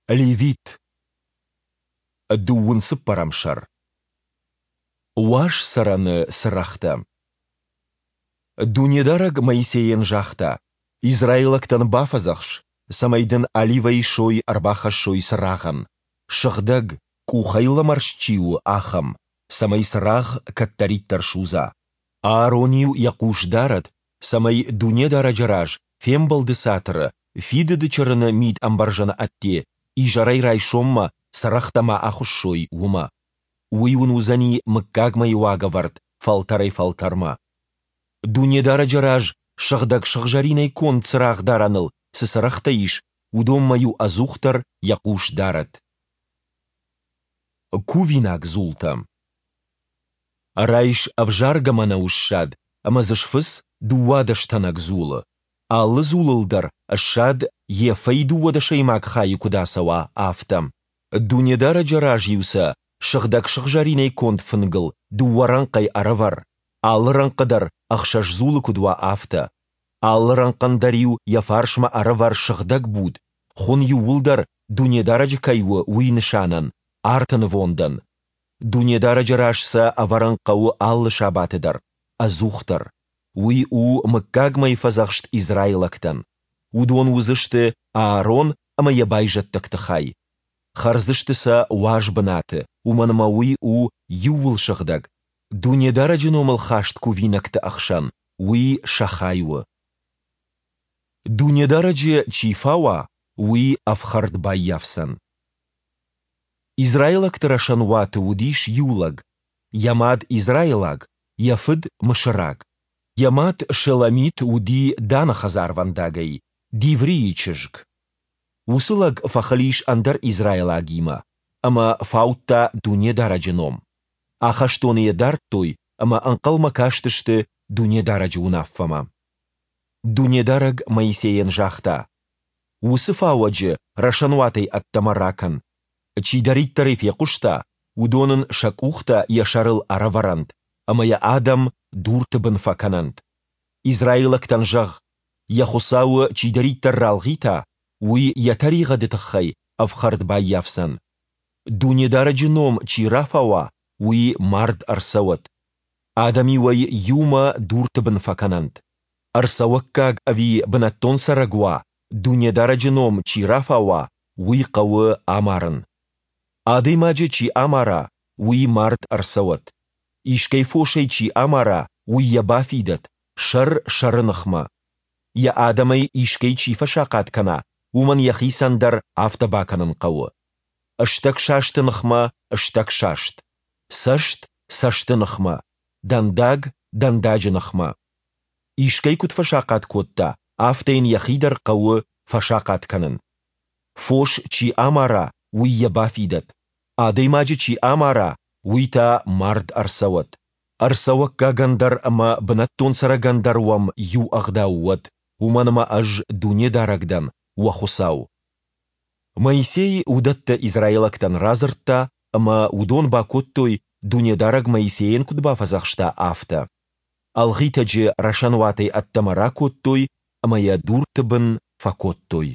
Левит. Дыууын цыппӕрӕм сӕр. Уаз цӕрӕны цырӕгътӕ. Дунедарӕг Моисейӕн загъта: Израилӕгтӕн бафӕдзӕхс, цӕмӕй дын оливӕйы сой ӕрбахӕссой цырагъӕн, сыгъдӕг, къухӕй лӕмӕрст чи у, ахӕм, цӕмӕй цырагъ кӕддӕриддӕр судза. Аарон-иу йӕ хъус дарӕд, цӕмӕй Дунедарӕджы раз, Фембӕлды Цатыры, Фидыды Чырыны мидӕмбӕрзӕны ӕдде, изӕрӕй райсоммӕ цырӕгътӕ ма ахуыссой, уымӕ. Уый уын уыдзӕни мыггагмӕйы уагӕвӕрд фӕлтӕрӕй-фӕлтӕрмӕ. Дунедарӕджы раз сыгъдӕг сыгъзӕринӕй конд цырагъдарӕныл цы цырӕгътӕ ис, уыдонмӕ-иу ӕдзухдӕр йӕ хъус дарӕд. Кувинаг дзултӕ. Райс ӕвзаргӕ мӕнӕуы ссад ӕмӕ дзы сфыц 12 тӕнӕг дзулы, алы дзулыл дӕр ссад ефӕй дыууадӕсӕймаг хайы куыд ацӕуа, афтӕ. Дунедарӕджы раз-иу сӕ сыгъдӕг сыгъзӕринӕй конд фынгыл дыууӕ рӕнхъӕй ӕрӕвӕр, алы рӕнхъы дӕр ӕхсӕз дзулы куыд уа, афтӕ. Алы рӕнхъӕн дӕр-иу йӕ фарсмӕ ӕрӕвӕр сыгъдӕг буд, хуын иууылдӕр Дунедарӕджы кӕй у, уый нысанӕн, арты нывондӕн. Дунедарӕджы раз сӕ ӕвӕрын хъӕуы алы сабаты дӕр, ӕдзухдӕр. Уый у мыггагмӕйы фӕдзӕхст израилӕгтӕн. Уыдон уыдзысты Аарон ӕмӕ йӕ байзӕддӕгты хай. Хӕрдзысты сӕ уаз бынаты, уымӕн ӕмӕ уый у иууылсыгъдӕг, Дунедарӕджы номыл хаст кувинӕгты ӕхсӕн уый сӕ хай у. Дунедарӕджы чи фауа, уый ӕфхӕрд баййафдзӕн. Израилӕгты рӕсӕнуаты уыдис иу лӕг, йӕ мад израилаг, йӕ фыд мысыраг. Йӕ мад Шеломит уыди Даны хӕдзарвӕндагӕй, Диврийы чызг. Уыцы лӕг фӕхыл ис ӕндӕр израилагимӕ ӕмӕ фаудта Дунедарӕджы ном. Ахӕстоны йӕ дардтой ӕмӕ ӕнхъӕлмӕ кастысты Дунедарӕджы уынаффӕмӕ. Дунедарӕг Моисейӕн загъта, Уыцы фауӕджы рӕсӕнуатӕй ӕддӕмӕ ракӕн. Чидӕриддӕр ӕй фехъуыста, уыдон ын сӕ къухтӕ йӕ сӕрыл ӕрӕвӕрӕнт, ӕмӕ йӕ адӕм дурты бын фӕкӕнӕнт. Израилӕгтӕн зӕгъ, йӕ Хуыцауы чидӕриддӕр ралгъита, уый йӕ тӕригъӕды тыххӕй ӕфхӕрд баййафдзӕн. Дунедарӕджы ном чи рафауа, уый мард ӕрцӕуӕд. Адӕм-иу ӕй иумӕ дурты бын фӕкӕнӕнт. Ӕрцӕуӕггаг ӕви бынӕттон цӕрӕг уа, Дунедарӕджы ном чи рафауа, уый хъӕуы амарын. Адӕймаджы чи амара, уый мард ӕрцӕуӕд. Искӕй фосӕй чи амара, уый йӕ бафидӕд, сӕр сӕры ныхмӕ. Йӕ адӕмӕй искӕй чи фӕсахъат кӕна, уымӕн йӕхицӕн дӕр афтӕ бакӕнын хъӕуы. Стӕгсасты ныхмӕ стӕгсаст, цӕст цӕсты ныхмӕ, дӕндаг дӕндаджы ныхмӕ. Искӕй куыд фӕсахъат кодта, афтӕ йын йӕхи дӕр хъӕуы фӕсахъат кӕнын. Фос чи амара, уый йӕ бафидӕд, адӕймаджы чи амара, уый та мард ӕрцӕуӕд. Ӕрцӕуӕггагӕн дӕр ӕмӕ бынӕттон цӕрӕгӕн дӕр уӕм иу ӕгъдау уӕд, уымӕн ӕмӕ Ӕз Дунедарӕг дӕн, уӕ Хуыцау. Моисей уыдӕттӕ израилӕгтӕн радзырдта, ӕмӕ уыдон бакодтой, Дунедарӕг Моисейӕн куыд бафӕдзӕхста, афтӕ. Ӕлгъитӕджы рӕсӕнуатӕй ӕддӕмӕ ракодтой ӕмӕ йӕ дурты бын фӕкодтой.